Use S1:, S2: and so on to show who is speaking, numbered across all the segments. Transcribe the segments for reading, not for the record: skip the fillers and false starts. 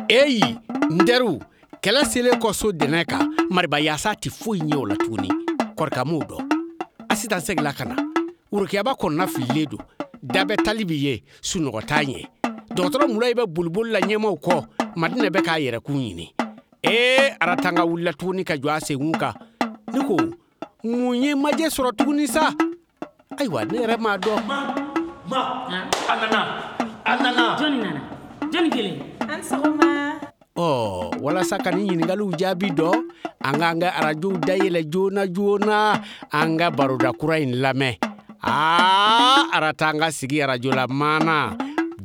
S1: Eyi n teriw, kɛlɛ selen kɔ so dɛnɛ kan, Mariba yaasa tɛ foyi ɲɛ o la tuguni. Kɔrika m'o dɔn. Asitan seginna ka na. Worokiyaba kɔnɔna fililen don. Dabɛ tali bɛ ye, sunɔgɔ t'a ɲɛ. Dɔgɔtɔrɔ Mulayi bɛ boliboli la ɲɛmaw kɔ. Madinɛ bɛ k'a yɛrɛkun ɲini. Ee, Aratanga wulila tuguni ka jɔ a senkun kan. Ne ko, mun ye majɛ sɔrɔ tuguni sa? Ayiwa, ne yɛrɛ m'a dɔn.
S2: Ma, ma, a nana, a nana.
S3: Jɔnni nana? Jɔnni kelen?
S4: An sɔgɔma.
S1: Ɔ, walasa ka nin ɲininkaliw jaabi dɔn, an k'an ka arajow dayɛlɛ joona joona, an ka baroda kura in lamɛn. Aa, Aratanga sigi arajo la maana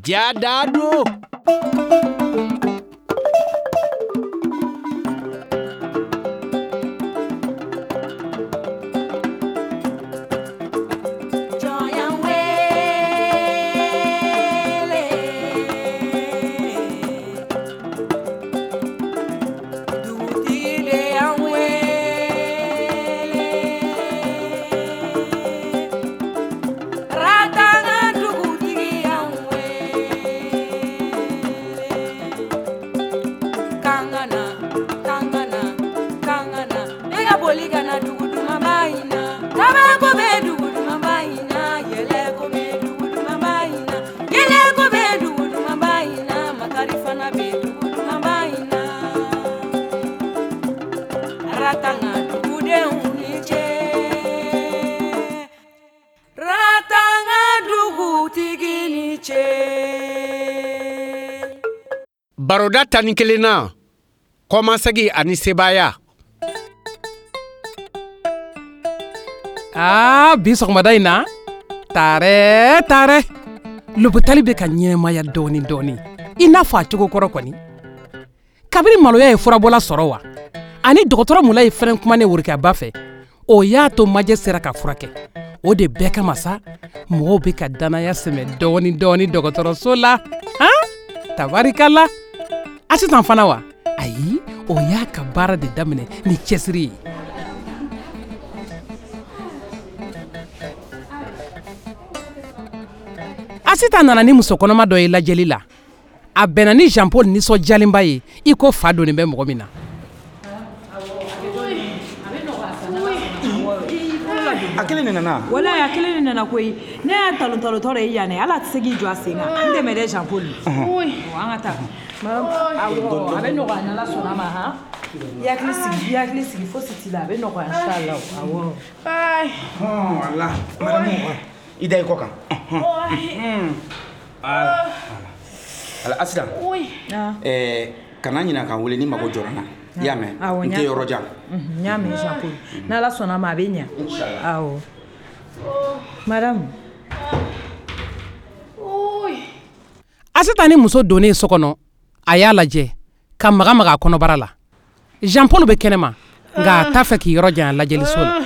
S1: ja daa don. Baroda 11 na, kɔmasegin ani sebaaya.
S5: Aa, bi sɔgɔmada in na, taarɛ taarɛ, lopitali bɛ ka ɲɛnamaya dɔɔni dɔɔni, i n'a fɔ a cogo kɔrɔ kɔni. Kabini maloya ye furabɔla sɔrɔ wa, ani dɔgɔtɔrɔ Mulayi fɛnɛ kumanen Worokiyaba fɛ, o y'a to majɛ sera ka furakɛ. O de bɛɛ kama sa, mɔgɔw bɛ ka danaya sɛmɛ dɔɔni dɔɔni dɔgɔtɔrɔso la. Han, tabarikala. Asitan fana wa? Ayi, o y'a ka baara de daminɛ ni cɛsiri ye. Asitan nana ni muso kɔnɔma dɔ ye lajɛli la. A bɛnna ni Jean Paul nisɔndiyalenba ye i ko fa donnen bɛ mɔgɔ min na.
S2: A kelen de nana.
S4: Walayi a kelen de nana koyi. Ne y'a talon talon tɔ de ye yan dɛ. Hali a tɛ se k'i jɔ a sen kan. N dɛmɛ dɛ Jean Paul. An ka taa. Awɔ, a bɛ nɔgɔya n'Ala sɔnna ma han. I hakili sigi, i hakili sigi, fosi t'i la, a bɛ nɔgɔya inchallah. Awɔ.
S2: Wala, madame, i da i kɔ kan. Voilà. Ala, Asitan. Kana ɲinɛ ka n wele ni mago jɔra n na. I y'a mɛn?
S4: Awɔ,
S2: n tɛ yɔrɔ jan.
S4: N y'a mɛn Jean Paul. N'Ala sɔnna ma a bɛ ɲɛ.
S2: Inchallah.
S4: Awɔ. Madame.
S5: Asitan ni muso donnen so kɔnɔ, a y'a lajɛ ka maga maga a kɔnɔbara la. Jean Paul bɛ kɛnɛma, nka a t'a fɛ k'i yɔrɔ janya lajɛliso la.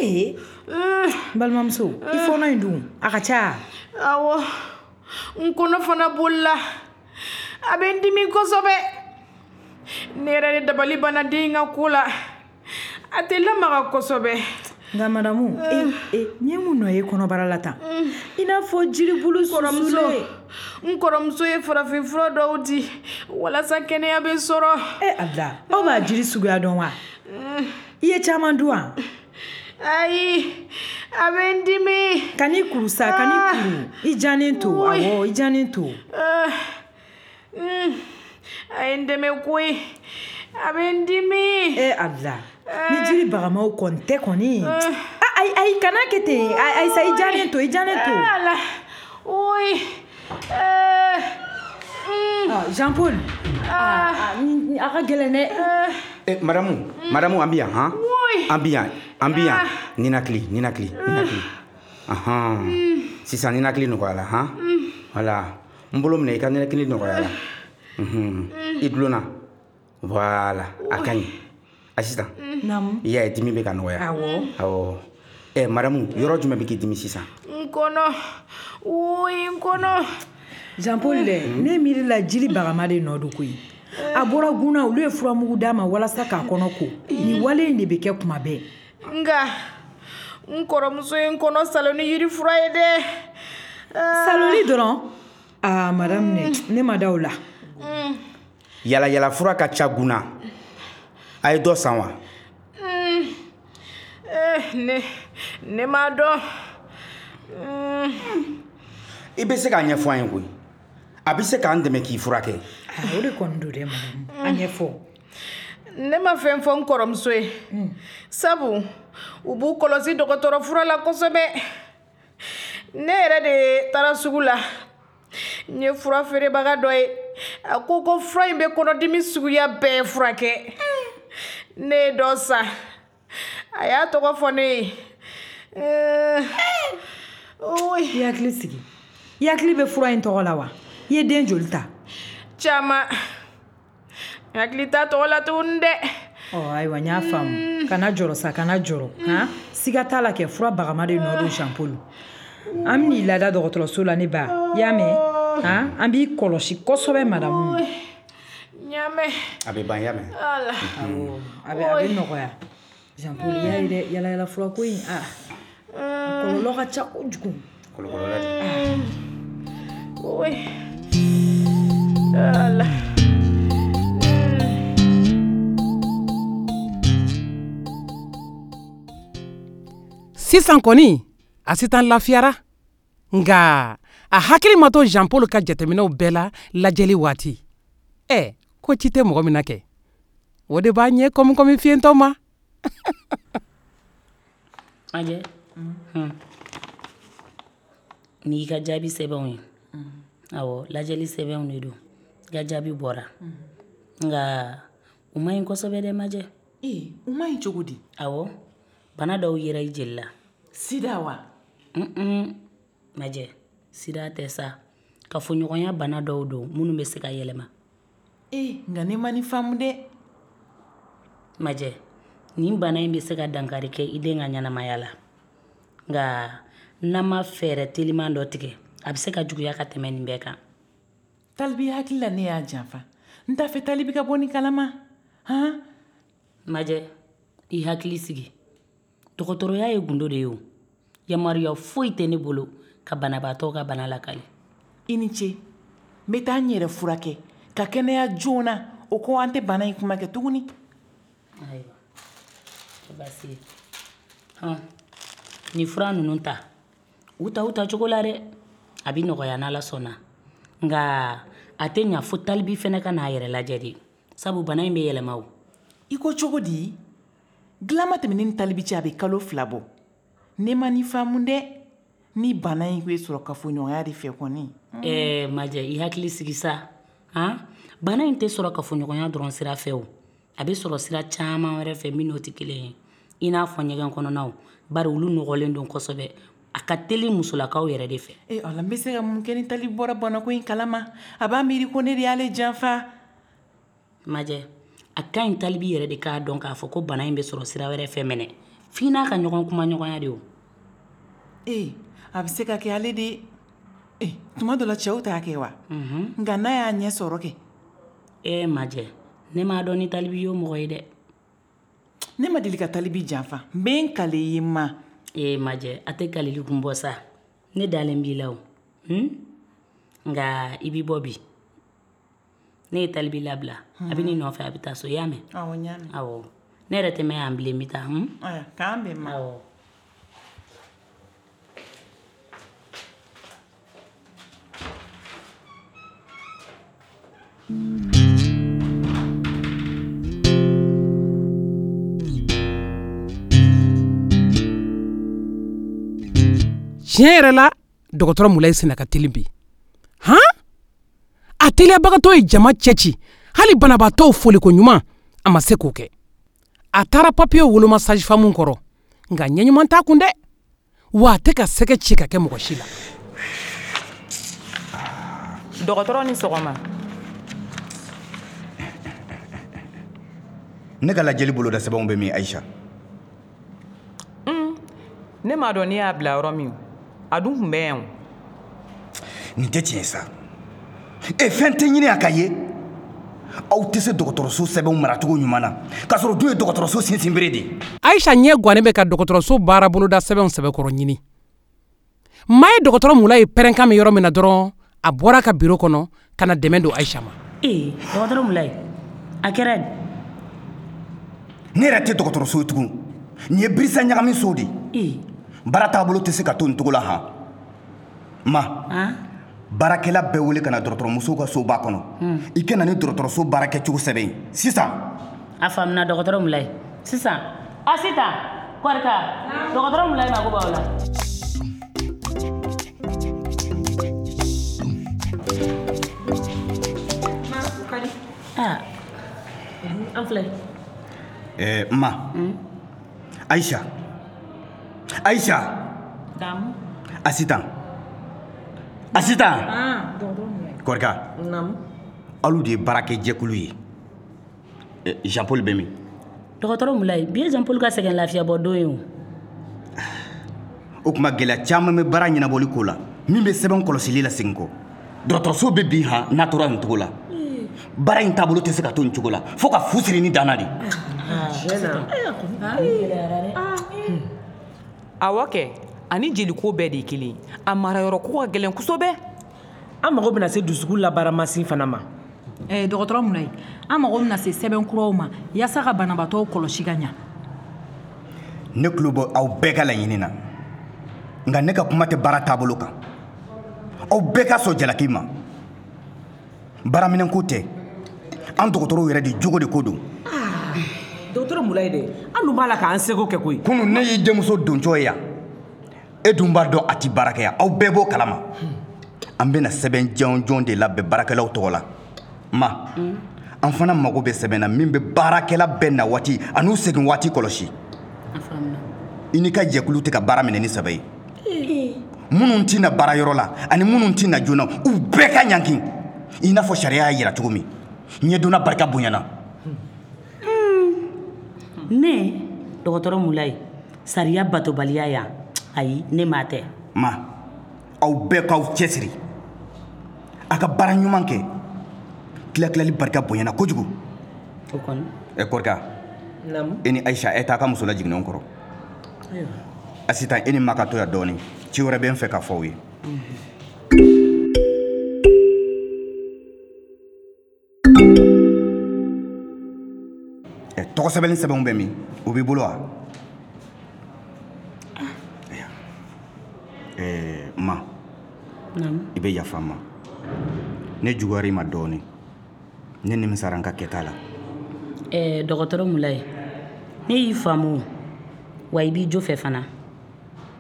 S4: Ee, n balimamuso, i fɔɔnɔ in dun, a ka ca.
S6: Awɔ, n kɔnɔ fana bolila. A bɛ n dimi kosɛbɛ. Ne yɛrɛ de dabali banna den in ka ko la. A tɛ lamaga kosɛbɛ.
S4: Nka madamu, e, nin ye mun nɔ ye kɔnɔbara la tan? I n'a fɔ jiribulu susulen.
S6: N kɔrɔmuso ye farafinfura dɔw di walasa kɛnɛya bɛ sɔrɔ.
S4: E Ala, aw b'a jiri suguya dɔn wa? I ye caman dun wa?
S6: Ayi, a bɛ n dimi.
S4: Kan'i kuru sa, kan'i kuru. I jannen to, awɔ, i jannen to.
S6: A ye n dɛmɛ koyi. A bɛ n dimi.
S4: E Ala, ni jiri bagamaw kɔni tɛ kɔni. Ayi, ayi, kana kɛ ten. Ayi sa, i jannen to, i jannen to.
S6: Ala, oyi.
S4: Jean Paul, a ka gɛlɛn dɛ.
S2: Madame, madame, an bɛ yan, han? An bɛ yan, an bɛ yan. Ninakili, ninakili, ninakili. Ahan. Sisan ninakili nɔgɔyara, han? Voilà. N bolo minɛ i ka ninakili nɔgɔyara. I dulonna. Voilà, a ka ɲi. Asitan.
S4: Naamu.
S2: I y'a ye dimi bɛ ka nɔgɔya.
S4: Awɔ.
S2: Awɔ. Madame, yɔrɔ jumɛn bɛ k'i dimi sisan?
S6: N kɔnɔ. Oyi, n kɔnɔ.
S4: Jean Paul dɛ, ne miiri la jiri bagama de nɔ don koyi. A bɔra gunna, olu ye furamugu d'a ma walasa k'a kɔnɔ ko. Nin wale in de bɛ kɛ kuma bɛɛ.
S6: Nka n kɔrɔmuso ye n kɔnɔ salo ni yiri fura ye dɛ.
S4: Saloli dɔrɔn? Aa madame, ne ma da o la.
S2: Yalayala fura ka ca gunna. A ye dɔ san wa?
S6: Ne m'a dɔn.
S2: I bɛ se k'a ɲɛfɔ an ye koyi. A bɛ se k'an dɛmɛ k'i furakɛ.
S4: O de kɔni don dɛ madame. A ɲɛfɔ.
S6: Ne ma fɛn fɔ n kɔrɔmuso ye. Sabu u b'u kɔlɔsi dɔgɔtɔrɔ fura la kosɛbɛ. Ne yɛrɛ de taara sugu la. N ye fura feerebaga dɔ ye. A ko ko fura in bɛ kɔnɔdimi suguya bɛɛ furakɛ. Ne ye dɔ san. A y'a tɔgɔ fɔ ne ye.
S4: I hakili sigi. I hakili bɛ fura in tɔgɔ la wa? I ye den joli ta?
S6: Caman. N hakili t'a tɔgɔ la tuguni dɛ.
S4: Ɔ ayiwa, n y'a faamu. Kana jɔrɔ sa, kana jɔrɔ. Han, siga t'a la kɛ fura bagama de nɔ don Jean Paul. An bɛn'i lada dɔgɔtɔrɔso la ne ba. I y'a mɛn? Han, an b'i kɔlɔsi kosɛbɛ madamu.
S6: N y'a mɛn.
S2: A bɛ ban, i y'a mɛn?
S6: Ala.
S4: Awɔ, a bɛ nɔgɔya. Jean Paul, i y'a ye dɛ, yalayala furako in, a kɔlɔlɔ ka ca kojugu.
S2: Kɔlɔlɔ la dɛ.
S6: Oye. Ala.
S5: Sisan kɔni Asitan lafiyara, nka a hakili ma to Jean Paul ka jateminɛw bɛɛ la lajɛli waati. Ɛ, ko ci tɛ mɔgɔ min na kɛ, o de b'a ɲɛ kɔmi fiyentɔ ma.
S3: Majɛ, n'i ka jaabi sɛbɛnw ye. Awɔ, lajɛli sɛbɛnw de don. I ka jaabi bɔra. Nka u ma ɲi kosɛbɛ dɛ Majɛ.
S7: Ee, u ma ɲi cogo di?
S3: Awɔ, bana dɔw yera i jeli la.
S7: Sida wa?
S3: Majɛ, sida tɛ sa. Kafoɲɔgɔnya bana dɔw don minnu bɛ se ka yɛlɛma.
S7: Ee, nka ne ma nin faamu dɛ.
S3: Majɛ, nin bana in bɛ se ka dankari kɛ i den ka ɲɛnamaya la. Nka n'an ma fɛɛrɛ teliman dɔ tigɛ, a bɛ se ka juguya ka tɛmɛ nin bɛɛ kan.
S7: Talibi hakili la ne y'a janfa. N t'a fɛ Talibi ka bɔ nin kalama. Han?
S3: Majɛ, i hakili sigi. Dɔgɔtɔrɔya ye gundo de ye o. Yamaruya foyi tɛ ne bolo ka banabaatɔ ka bana lakali.
S7: I ni ce. N bɛ taa n yɛrɛ furakɛ ka kɛnɛya joona. O kɔ an tɛ bana in kuma kɛ tuguni.
S3: Ayiwa, tɛ baasi ye. Hɔn, nin fura ninnu ta, u ta u ta cogo la dɛ. A bɛ nɔgɔya n'Ala sɔnna. Nka a tɛ ɲa fo Talibi fɛnɛ ka n'a yɛrɛ lajɛ de. Sabu bana in bɛ yɛlɛma o.
S7: I ko cogo di? Dilan ma tɛmɛ ne ni Talibi cɛ, a bɛ kalo 2 bɔ. Ne ma nin faamu dɛ. Ni bana in bɛ sɔrɔ kafoɲɔgɔnya de fɛ kɔni.
S3: Ɛɛ Majɛ, i hakili sigi sa. Han, bana in tɛ sɔrɔ kafoɲɔgɔnya dɔrɔn sira fɛ o. A bɛ sɔrɔ sira caman wɛrɛ fɛ min n'o tɛ kelen ye. I n'a fɔ ɲɛgɛn kɔnɔnaw, bari olu nɔgɔlen don kosɛbɛ. A ka teli musolakaw yɛrɛ de fɛ.
S7: Ee Ala, n bɛ se ka mun kɛ ni Talibi bɔra banako in kalama? A b'a miiri ko ne de y'ale janfa.
S3: Majɛ, a ka ɲi Talibi yɛrɛ de k'a dɔn k'a fɔ ko bana in bɛ sɔrɔ sira wɛrɛ fɛ mɛnɛ. F'i n'a ka ɲɔgɔn kuma ɲɔgɔnya de o.
S7: Ee, a bɛ se ka kɛ ale de. Ee, tuma dɔ la cɛw t'a kɛ wa? Nka n'a y'a ɲɛ sɔrɔ kɛ.
S3: Ee Majɛ, ne m'a dɔn ni Talibi y'o mɔgɔ ye dɛ.
S7: Ne ma deli ka Talibi janfa. N bɛ n kale i ma.
S3: Ee Majɛ, a tɛ kalili kun bɔ sa. Ne dalen b'i la o. Nka i b'i bɔ bi. Ne ye Talibi labila. A bɛ n'i nɔfɛ, a bɛ taa so, i y'a mɛn?
S7: Awɔ, n y'a mɛn.
S3: Awɔ. Ne yɛrɛ tɛ mɛn yan bilen, n bɛ taa.
S7: Ayiwa, k'an bɛn ma.
S3: Awɔ.
S5: Tiɲɛ yɛrɛ la, dɔgɔtɔrɔ Mulayi senna ka teli bi. Han? A teliyabagatɔ ye jama cɛci, hali banabaatɔw foliko ɲuman, a ma se k'o kɛ. A taara papiyew woloma sage-femme kɔrɔ, nka ɲɛ ɲuman t'a kun dɛ. Wa a tɛ ka sɛgɛ ci ka kɛ mɔgɔ si la.
S8: Dɔgɔtɔrɔ ni sɔgɔma.
S2: Ne ka lajɛli boloda sɛbɛnw bɛ min, Ayisa?
S8: Ne m'a dɔn ne y'a bila yɔrɔ min. A dun tun bɛ yan o.
S2: Nin tɛ tiɲɛ sa. E fɛn tɛ ɲini a ka ye. Aw tɛ se dɔgɔtɔrɔso sɛbɛnw maracogo ɲuman na, k'a sɔrɔ dun ye dɔgɔtɔrɔso sinsinbere de ye.
S5: Ayisa ɲɛ gannen bɛ ka dɔgɔtɔrɔso baara boloda sɛbɛnw sɛbɛkɔrɔ ɲini. Maa ye dɔgɔtɔrɔ Mulayi pɛrɛnkan mɛn yɔrɔ min na dɔrɔn, a bɔra a ka biro kɔnɔ ka na dɛmɛ don Ayisa ma.
S3: Ee dɔgɔtɔrɔ Mulayi, a kɛra di?
S2: Ne yɛrɛ tɛ dɔgɔtɔrɔso ye tugun. Nin ye birisa ɲagami so de ye. Baara taabolo tɛ se ka to nin cogo la han. Ma, baarakɛla bɛɛ wele ka na dɔgɔtɔrɔmusow ka soba kɔnɔ. I ka na ni dɔgɔtɔrɔso baarakɛcogo sɛbɛn ye sisan.
S3: A faamuna dɔgɔtɔrɔ Mulayi. Sisan, Asitan, Kɔrika, dɔgɔtɔrɔ Mulayi mako b'aw la. An filɛ.
S2: Ma. Aïcha. Aïcha.
S7: Daamu.
S2: Asitan. Asitan. Kɔrika.
S7: Naamu.
S2: Alu de ye baarakɛjɛkulu ye. Jean Paul bɛ min?
S3: Dɔgɔtɔrɔ Mulayi, bi ye Jean Paul ka sɛgɛn lafiyabɔ don ye o.
S2: O tuma gɛlɛya caman bɛ baara ɲɛnabɔli ko la min bɛ sɛbɛn kɔlɔsili la segin kɔ. Dɔgɔtɔrɔso bɛ bin han n'a tora nin cogo la. Baara in taabolo tɛ se ka to nin cogo la fo ka fu siri ni danna de.
S8: Awɔ kɛ, ani jeliko bɛɛ de ye kelen. A marayɔrɔ ko ka gɛlɛn kosɛbɛ.
S7: An mago bɛna se dusukun labaaramasin fana ma.
S4: Dɔgɔtɔrɔ Mulayi, an mago bɛna se sɛbɛn kuraw ma yaasa ka banabaatɔw kɔlɔsi ka ɲa.
S2: Ne tulo bɛ aw bɛɛ ka laɲini na, nka ne ka kuma tɛ baara taabolo kan. Aw bɛɛ ka sɔn jalaki ma. Baaraminɛnko tɛ, an dɔgɔtɔrɔw yɛrɛ de jogo de ko don.
S7: Dɔgɔtɔrɔ Mulayi dɛ, an dun b'a la k'an seko kɛ koyi.
S2: Kunun ne y'i denmuso dontɔ ye yan, e dun b'a dɔn a ti baara kɛ yan, aw bɛɛ b'o kalama. An bɛna sɛbɛn jɔnjɔn de labɛn baarakɛlaw tɔgɔ la. Ma, an fana mago bɛ sɛbɛn na min bɛ baarakɛla bɛɛ na waati an'u segin waati kɔlɔsi. I n'i ka jɛkulu tɛ ka baara minɛ ni sɛbɛ ye. Minnu tɛ na baarayɔrɔ la ani minnu tɛ na joona, u bɛɛ ka ɲangi i n'a fɔ sariya y'a jira cogo min. Ɲɛdonna barika bonyana.
S3: Ne dɔgɔtɔrɔ Mulayi, sariya batobaliya yan, ayi ne m'a tɛ.
S2: Ma, aw bɛɛ k'aw cɛsiri a ka baara ɲuman kɛ. Tilatilali barika bonyana kojugu.
S3: O kɔni.
S2: Kɔrika, e ni Ayisa, e t'a ka muso lajiginnenw kɔrɔ. Asitan, e ni ma ka to yan dɔɔnin. Ci wɛrɛ bɛ n fɛ ka fɔ aw ye. Tɔgɔ sɛbɛnni sɛbɛnw bɛ min? O b'i bolo wa? Ma, i bɛ yafa n ma. Ne juguyara i ma dɔɔnin. Ne nimisara n ka kɛta la.
S3: Dɔgɔtɔrɔ Mulayi, ne y'i faamu wa i b'i jo fɛ fana.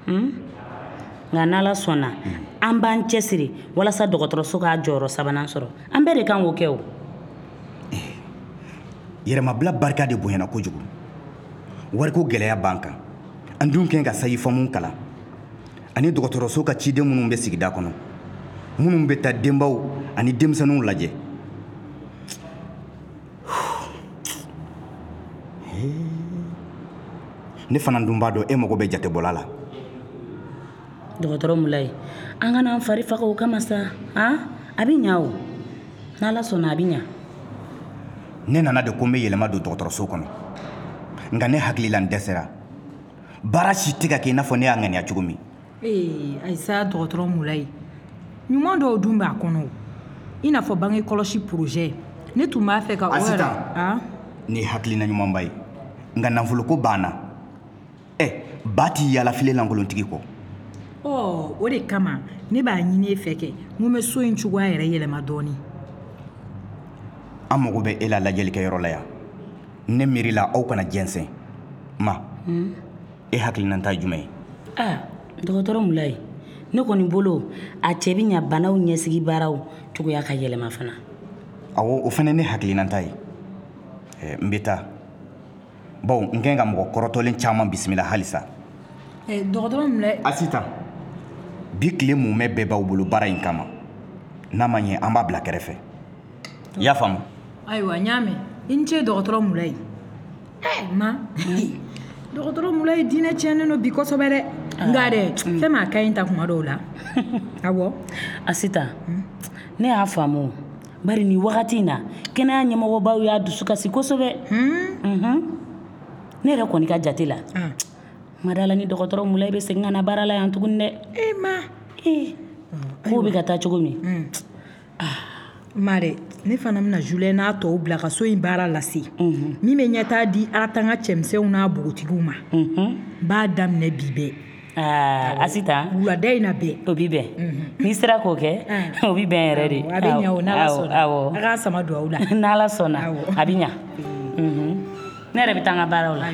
S3: Nka n'Ala sɔnna, an b'an cɛsiri walasa dɔgɔtɔrɔso k'a jɔyɔrɔ sabanan sɔrɔ. An bɛɛ de kan k'o kɛ o.
S2: Yɛrɛmabila barika de bonyana kojugu. Wariko gɛlɛya b'an kan. An dun kɛn ka sayifamu kalan. Ani dɔgɔtɔrɔso ka ciden minnu bɛ sigida kɔnɔ, minnu bɛ taa denbaw ani denmisɛnninw lajɛ. Ne fana dun b'a dɔn e mago bɛ jatebɔla la.
S3: Dɔgɔtɔrɔ Mulayi, an kana an fari faga o kama sa. A bɛ ɲa o. N'Ala sɔnna a bɛ ɲa.
S2: Ne nana de ko n bɛ yɛlɛma don dɔgɔtɔrɔso kɔnɔ. Nka ne hakili la n dɛsɛra. Baara si tɛ ka kɛ i n'a fɔ ne y'a ŋaniya cogo min.
S4: Ayisa, dɔgɔtɔrɔ Mulayi, ɲuman dɔw dun b'a kɔnɔ. I n'a fɔ bange kɔlɔsi projet. Ne tun b'a fɛ ka o yɛrɛ.
S2: Asitan, nin ye hakilina ɲumanba ye. Nka nafoloko banna. Ba t'i yaala filen lankolontigi kɔ.
S4: O de kama ne b'a ɲini e fɛ kɛ n ko n bɛ so in cogoya yɛrɛ yɛlɛma dɔɔnin.
S2: An mago bɛ e la lajɛlikɛyɔrɔ la yan. Ne miiri la aw kana jɛnsɛn. Ma, e hakilinata ye jumɛn ye?
S3: Dɔgɔtɔrɔ Mulayi, ne kɔni bolo a cɛ bɛ ɲa banaw ɲɛsigi baaraw cogoya ka yɛlɛma fana.
S2: Awɔ, o fana ne hakilinata ye. N bɛ taa. Bawo n kɛn ka mɔgɔ kɔrɔtɔlen caman bisimila halisa.
S4: Dɔgɔtɔrɔ Mulayi.
S2: Asitan, bi tile mumɛ bɛɛ b'aw bolo baara in kama. N'a ma ɲɛ, an b'a bila kɛrɛfɛ. I y'a faamu?
S4: Ayiwa, n y'a mɛn. I ni ce dɔgɔtɔrɔ Mulayi. Ma, dɔgɔtɔrɔ Mulayi diinɛ tiɲɛnen don bi kosɛbɛ dɛ. Nka dɛ, fɛn m'a ka ɲi ta kuma dɔw la. Awɔ.
S3: Asitan, ne y'a faamu. Bari nin wagati in na, kɛnɛya ɲɛmɔgɔbaw y'a dusu kasi kosɛbɛ. Ne yɛrɛ kɔni ka jate la, Madala ni dɔgɔtɔrɔ Mulayi bɛ segin ka na baara la yan tuguni dɛ.
S4: E ma.
S3: Ee. Kow bɛ ka taa cogo min.
S4: Ma dɛ, ne fana bɛna Julien n'a tɔw bila ka so in baara lase. Min bɛ ɲɛtaa di Aratanga cɛmisɛnw n'a npogotigiw ma. N b'a daminɛ bi bɛɛ.
S3: Aa Asitan.
S4: Wulada in na bɛɛ.
S3: O bi bɛn. N'i sera k'o kɛ, o bi bɛn yɛrɛ de.
S4: A bɛ ɲɛ o, n'Ala sɔnna.
S3: Awɔ.
S4: A k'a sama duwawu la.
S3: N'Ala sɔnna, a bɛ ɲa. Ne yɛrɛ bɛ taa n ka baaraw la.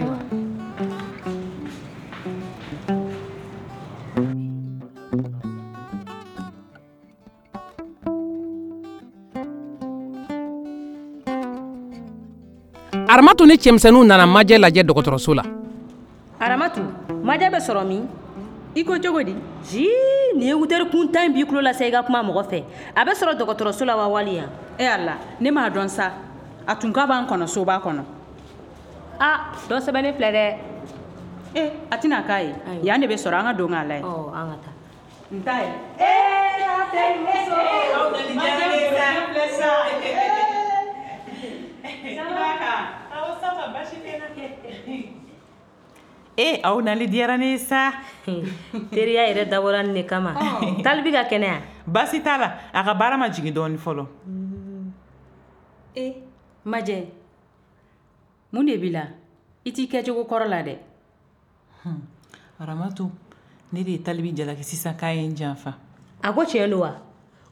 S5: Aramatu ni cɛmisɛnninw nana Majɛ lajɛ dɔgɔtɔrɔso la.
S9: Aramatu, Majɛ bɛ sɔrɔ min?
S10: I ko cogo di?
S9: Jii, nin ye wutɛri kuntan in b'i tulo la sa i ka kuma mɔgɔ fɛ. A bɛ sɔrɔ dɔgɔtɔrɔso la wa wali yan?
S10: E Ala, ne m'a dɔn sa. A tun ka b'an kɔnɔ soba kɔnɔ.
S9: A, dɔ sɛbɛnnen filɛ dɛ.
S10: E, a tɛna k'a ye. Yan de bɛ sɔrɔ, an ka don k'a lajɛ.
S9: Ɔ, an ka taa.
S10: N t'a ye.
S6: Ee, a tɛ muso.
S7: Majɛ filɛ sa.
S8: E aw nali diyara ne ye sa.
S9: Teriya yɛrɛ dabɔra nin de kama. Talibi ka kɛnɛya.
S7: Baasi t'a la, a ka baara ma jigin dɔɔnin fɔlɔ.
S10: E Majɛ, mun de b'i la? I t'i kɛcogo kɔrɔ la dɛ.
S7: Aramatu, ne de ye Talibi jalaki sisan k'a ye n janfa.
S9: A ko tiɲɛ don wa?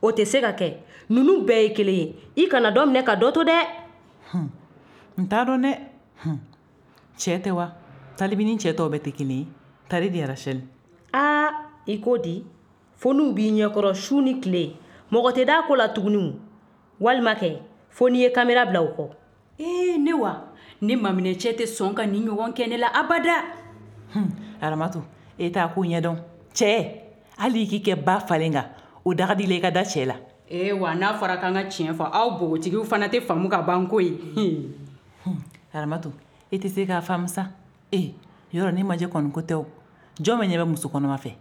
S9: O tɛ se ka kɛ. Ninnu bɛɛ ye kelen ye. I kana dɔ minɛ ka dɔ to dɛ.
S7: N t'a dɔn dɛ. Cɛ tɛ wa? Talibi ni cɛ tɔw bɛɛ tɛ kelen ye. Tari di Rachel.
S9: Aa, i ko di? Fo n'u b'i ɲɛkɔrɔ su ni tile. Mɔgɔ tɛ d'a ko la tuguni. Walima kɛ, fo n'i ye kamera bila u kɔ.
S10: Ee, ne wa? Ne maminɛ cɛ tɛ sɔn ka nin ɲɔgɔn kɛ ne la abada.
S7: Aramatu, e t'a ko ɲɛdɔn. Cɛ, hali i k'i kɛ ba falen kan, o da ka di i la i ka da cɛ la.
S10: Ee wa, n'a fɔra k'an ka tiɲɛ fɔ, aw npogotigiw fana tɛ faamu ka ban koyi.
S7: Aramatu, e tɛ se k'a faamu sa. E, yɔrɔ ne Majɛ kɔni ko tɛ o. Jɔn bɛ ɲɛ bɛ muso kɔnɔma fɛ?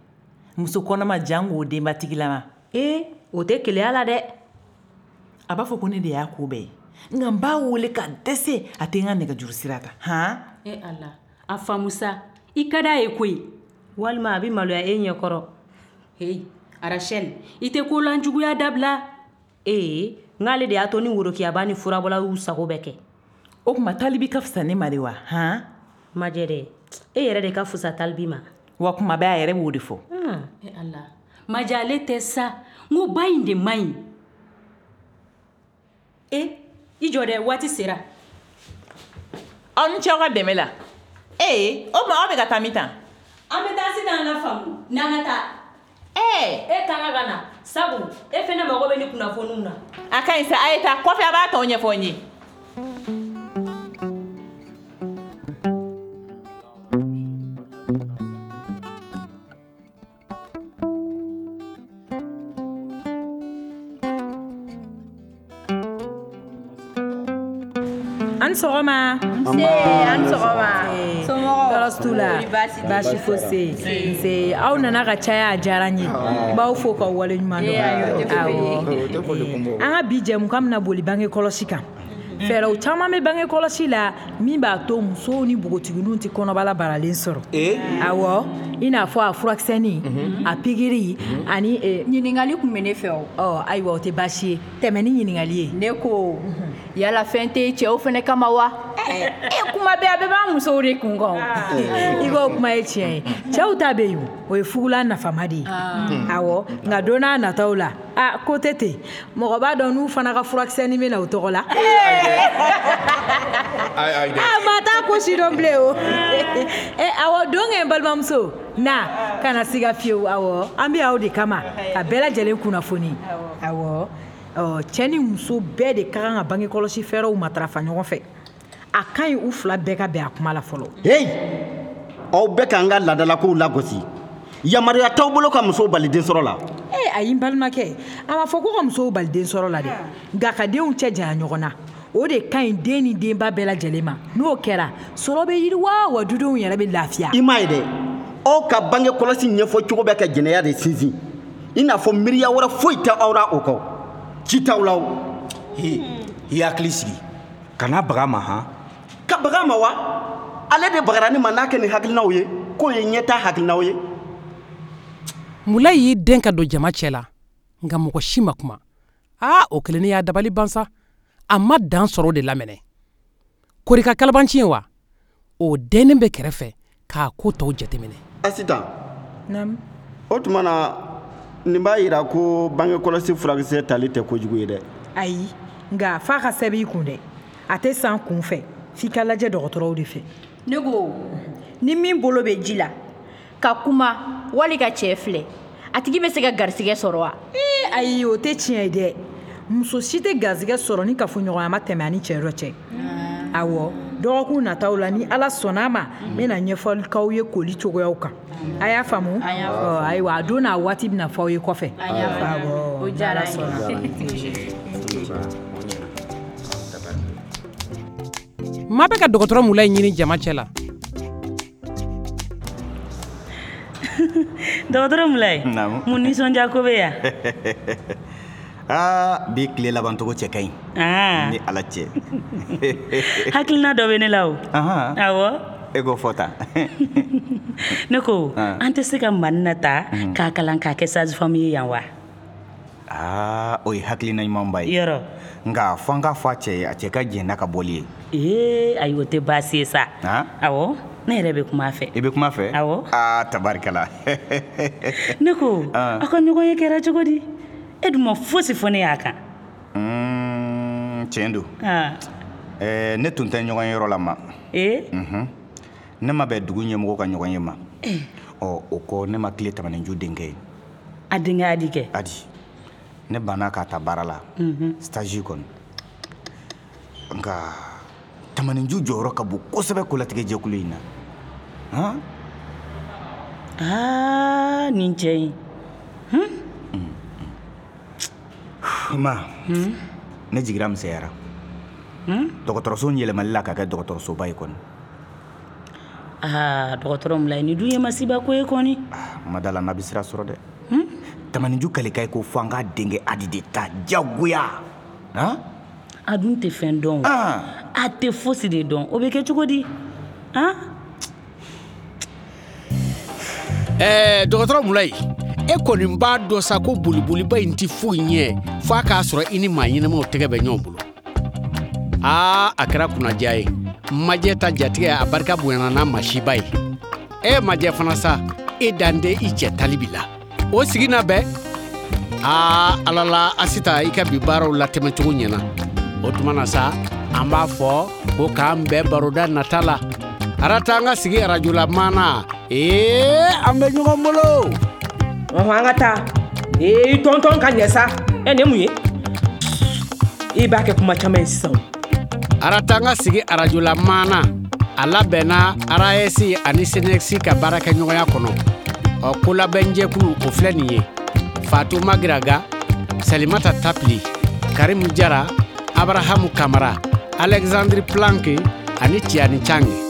S7: Muso kɔnɔma jango o denbatigilama.
S9: Ee, o tɛ keleya la dɛ.
S7: A b'a fɔ ko ne de y'a ko bɛɛ ye. Nka n b'a wele ka dɛsɛ, a tɛ n ka nɛgɛjuru sira ta. Han?
S10: E Ala, a faamu sa. I ka d'a ye koyi.
S9: Walima a bɛ maloya e ɲɛkɔrɔ.
S10: Heyi, Rachel, i tɛ kolanjuguya dabila.
S9: Ee, n'ale de y'a to ni worokiyaba ni furabɔla y'u sago bɛɛ kɛ.
S7: O tuma Talibi ka fisa ne ma de wa? Han?
S9: Majɛ dɛ, e yɛrɛ de ka fisa Talibi ma.
S7: Wa kuma bɛɛ a yɛrɛ b'o de fɔ.
S10: E Ala, Majɛ ale tɛ sa. N ko ba in de man ɲi. E, i jɔ dɛ, waati sera.
S7: Aw ni ce aw ka dɛmɛ la. Ee, o tuma aw bɛ ka taa min tan?
S10: An bɛ taa sisan la faamu, n'an ka taa.
S7: Ee!
S9: E kan ka na, sabu e fɛnɛ mago bɛ ni kunnafoniw na.
S7: A ka ɲi sa, a ye taa kɔfɛ a b'a tɔ ɲɛfɔ n ye.
S4: An sɔgɔma.
S11: Nse, an sɔgɔma. Somɔgɔw?
S4: Tɔɔrɔ t'u la. Baasi fosi. Nse, aw nana ka caya, a diyara n ye. N b'aw fo k'aw waleɲuman dɔn. Awɔ. An ka bi jɛmukan bɛna boli bange kɔlɔsi kan. Fɛɛrɛw caman bɛ bange kɔlɔsi la min b'a to musow ni npogotigininw tɛ kɔnɔbara baralen sɔrɔ. Awɔ, i n'a fɔ a furakisɛnin, a pikiri ani
S11: ɲininkali tun bɛ ne fɛ o.
S4: Ɔ, ayiwa, o tɛ baasi ye. Tɛmɛ ni ɲininkali ye.
S11: Ne ko, yala fɛn tɛ cɛw fɛnɛ kama wa? E kuma bɛɛ a bɛɛ b'an musow de kun kan.
S4: I k'o kuma ye tiɲɛ ye. Cɛw ta bɛ yen, o ye fugulan nafama de ye. Awɔ, nka don n'a nataw la, a ko tɛ ten. Mɔgɔ b'a dɔn n'u fana ka furakisɛnin bɛ na u tɔgɔ la. A ma taa ko si dɔn bilen o. E awɔ, don kɛ n balimamuso, na kana siga fiyewu. Awɔ, an bɛ aw de kama ka bɛɛ lajɛlen kunnafoni. Awɔ. Cɛ ni muso bɛɛ de ka kan ka bange kɔlɔsi fɛɛrɛw matarafa ɲɔgɔn fɛ. A ka ɲi u fila bɛɛ ka bɛn a kuma la fɔlɔ.
S12: Heyi, aw bɛɛ k'an ka laadalakow lagosi. Yamaruya t'aw bolo ka musow bali densɔrɔ la.
S4: Ee, ayi n balimakɛ, a ma fɔ ko ka musow bali densɔrɔ la dɛ, nka ka denw cɛ janya ɲɔgɔn na, o de ka ɲi den ni denba bɛɛ lajɛlen ma. N'o kɛra, sɔrɔ bɛ yiriwa, wa dudenw yɛrɛ bɛ lafiya.
S12: I m'a ye dɛ, aw ka bange kɔlɔsi ɲɛfɔ cogo bɛ ka jɛnɛya de sinsin. I n'a fɔ miiriya wɛrɛ foyi tɛ aw la o kɔ. Ci t'aw la o.
S2: He, i hakili sigi. Kana baga ma han.
S12: Ka baga ma wa? Ale de bagara ne ma n'a kɛ nin hakilinaw ye. K'o ye ɲɛtaa hakilinaw ye.
S5: Mulayi y'i den ka don jama cɛ la, nka mɔgɔ si ma kuma. Aa, o kelennin y'a dabali ban sa. A ma dan sɔrɔ o de la mɛnɛ. Korika kalabanci ye wa? O dennen bɛ kɛrɛfɛ k'a ko tɔw jateminɛ.
S12: Asitan.
S4: Naamu.
S12: O tuma na nin b'a yira ko bangekɔlɔsi furakisɛ tali tɛ kojugu ye dɛ.
S4: Ayi, nka f'a ka sɛbɛn i kun dɛ. A tɛ san kun fɛ, f'i ka lajɛ dɔgɔtɔrɔw de fɛ.
S11: Ne ko, ni min bolo bɛ ji la ka kuma wali ka cɛ filɛ, a tigi bɛ se ka garisɛgɛ sɔrɔ wa?
S4: Ee ayi, o tɛ tiɲɛ ye dɛ. Muso si tɛ garisɛgɛ sɔrɔ ni kafoɲɔgɔnya ma tɛmɛ a ni cɛ dɔ cɛ. Awɔ, dɔgɔkun nataw la, ni Ala sɔnna a ma, n bɛna ɲɛfɔli k'aw ye koli cogoyaw kan. A y'a faamu? Ɔ, ayiwa, a don n'a waati bɛna fɔ aw ye kɔfɛ. Awɔ,
S11: O diyara n ye.
S5: Maa bɛ ka dɔgɔtɔrɔ Mulayi ɲini jama cɛ la.
S3: Dɔgɔtɔrɔ Mulayi,
S13: Naamu.
S3: mun nisɔndiya ko bɛ yan?
S13: Aa, bi tile labancogo cɛ ka ɲi.
S3: Aa.
S13: Ni Ala cɛ.
S3: Hakilina dɔ bɛ ne la o.
S13: Ahan.
S3: Awɔ.
S13: E k'o fɔ tan.
S3: Ne ko,
S13: Ah.
S3: an tɛ se ka Manina ta k'a kalan k'a kɛ sage-femme ye yan wa?
S13: Aa, o ye hakilina ɲumanba ye.
S3: Yɔrɔ.
S13: Nka fo an k'a fɔ a cɛ ye, a cɛ ka jɛn n'a ka bɔli ye.
S3: Ee, ayi, o tɛ baasi ye sa. Awɔ, ne yɛrɛ bɛ kuma a fɛ.
S13: I bɛ kuma a fɛ?
S3: Awɔ.
S13: Aa, tabarikala.
S3: Ne ko,
S13: Ah.
S3: aw ka ɲɔgɔn ye kɛra cogo di? E dun ma fosi fɔ ne y'a kan.
S13: Tiɲɛ don.
S3: Ah.
S13: Ɛɛ, ne tun tɛ ɲɔgɔn ye yɔrɔ la ma.
S3: Ee?
S13: Unhun. Ne ma bɛn dugu ɲɛmɔgɔ ka ɲɔgɔn ye ma. Ɔ, o kɔ, ne ma tile Tamaninju denkɛ ye.
S3: A denkɛ Adi kɛ?
S13: Adi. Ne banna k'a ta baara la.
S3: Unhun.
S13: Stage kɔni. Nka Tamaninju jɔyɔrɔ ka bon kosɛbɛ kolatigɛ jɛkulu in na. Han?
S3: Aa, nin cɛ in.
S13: Ma, ne jigira misɛnyara. Dɔgɔtɔrɔso in yɛlɛmali la ka kɛ dɔgɔtɔrɔsoba ye kɔni.
S3: Aa, dɔgɔtɔrɔ Mulayi, nin dun ye masiba ko ye kɔni.
S13: N ma da la n'a bɛ sira sɔrɔ dɛ. Tamaninju kalekan ye ko fo an k'a denkɛ Adi de ta diyagoya. Han?
S3: A dun tɛ fɛn dɔn. A tɛ fosi de dɔn. O bɛ kɛ cogo di? Han?
S1: Ɛɛ, dɔgɔtɔrɔ Mulayi, e kɔni b'a dɔn sa ko boliboliba in tɛ foyi ɲɛ f'a k'a sɔrɔ i ni maa ɲɛnamaw tɛgɛ bɛ ɲɔgɔn bolo. Aa, a kɛra kunnadiya ye. Majɛ ta jatigɛ, a barika bonyana n'a masiba ye. E majɛ fana sa, e dan tɛ i cɛ talibi la. O sigi na bɛn. Aa, Ala la, Asita, i ka bi baaraw latɛmɛcogo ɲɛna. O tuma na sa, an b'a fɔ ko k'an bɛn baroda nata la. Arata, an ka sigi arajola maana. Ee, an bɛ ɲɔgɔn bolo.
S14: Ɔhɔn, an ka taa. Ee, i tɔntɔn ka ɲɛ sa. Ɛ, nin ye mun ye? I b'a kɛ kuma caman ye sisan.
S1: Arata, an ka sigi arajola maana, a labɛnna RAS ani SYNEX ka baarakɛɲɔgɔnya kɔnɔ. Ɔ, kolabɛnjɛkulu, o filɛ nin ye: Fatou Magiraga, Salimata Tapili, Karimu Jara, Abrahamu Kamara, Alexandre Planke ani Tiani Change.